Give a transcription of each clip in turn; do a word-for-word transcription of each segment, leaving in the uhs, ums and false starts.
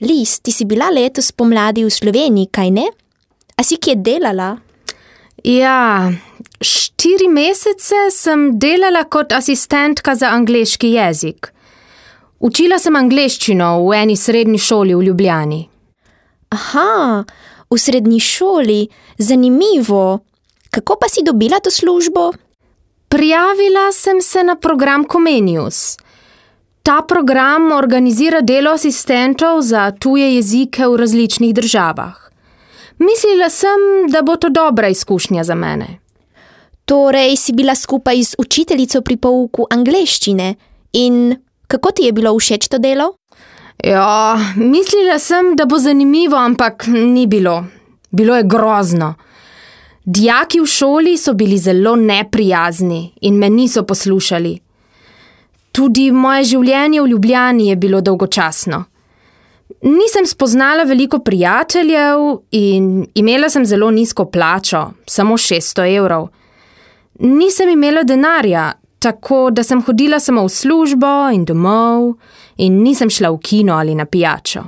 Liz, ti si bila letos pomladi v Sloveniji, kaj ne? A si kje delala? Ja, štiri mesece sem delala kot asistentka za angleški jezik. Učila sem angleščino v eni srednji šoli v Ljubljani. Aha, v srednji šoli, zanimivo. Kako pa si dobila to službo? Prijavila sem se na program Comenius. Ta program organizira delo asistentov za tuje jezike v različnih državah. Mislila sem, da bo to dobra izkušnja za mene. Torej si bila skupaj z učiteljico pri pouku angleščine in kako ti je bilo všeč to delo? Ja, mislila sem, da bo zanimivo, ampak ni bilo. Bilo je grozno. Dijaki v šoli so bili zelo neprijazni in me niso poslušali. Tudi moje življenje v Ljubljani je bilo dolgočasno. Nisem spoznala veliko prijateljev in imela sem zelo nizko plačo, samo šeststo evrov. Nisem imela denarja, tako da sem hodila samo v službo in domov in nisem šla v kino ali na pijačo.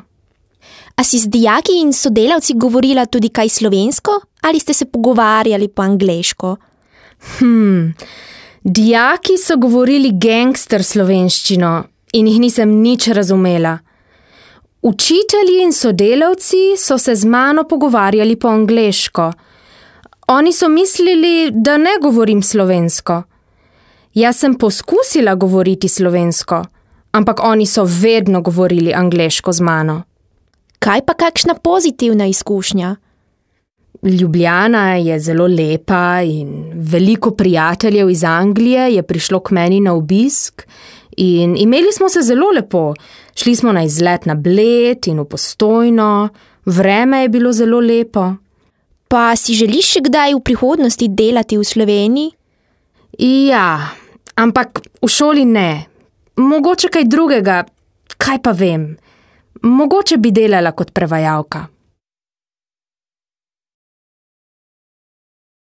A si z dijaki in sodelavci govorila tudi kaj slovensko ali ste se pogovarjali po angleško? Hmm, dijaki so govorili gangster slovenščino in jih nisem nič razumela. Učitelji in sodelavci so se z mano pogovarjali po angleško. Oni so mislili, da ne govorim slovensko. Jaz sem poskusila govoriti slovensko, ampak oni so vedno govorili angleško z mano. Kaj pa kakšna pozitivna izkušnja? Ljubljana je zelo lepa in veliko prijateljev iz Anglije je prišlo k meni na obisk in imeli smo se zelo lepo. Šli smo na izlet na Bled in v Postojno, vreme je bilo zelo lepo. Pa si želiš še kdaj v prihodnosti delati v Sloveniji? Ja, ampak v šoli ne. Mogoče kaj drugega, kaj pa vem. Mogoče bi delala kot prevajalka.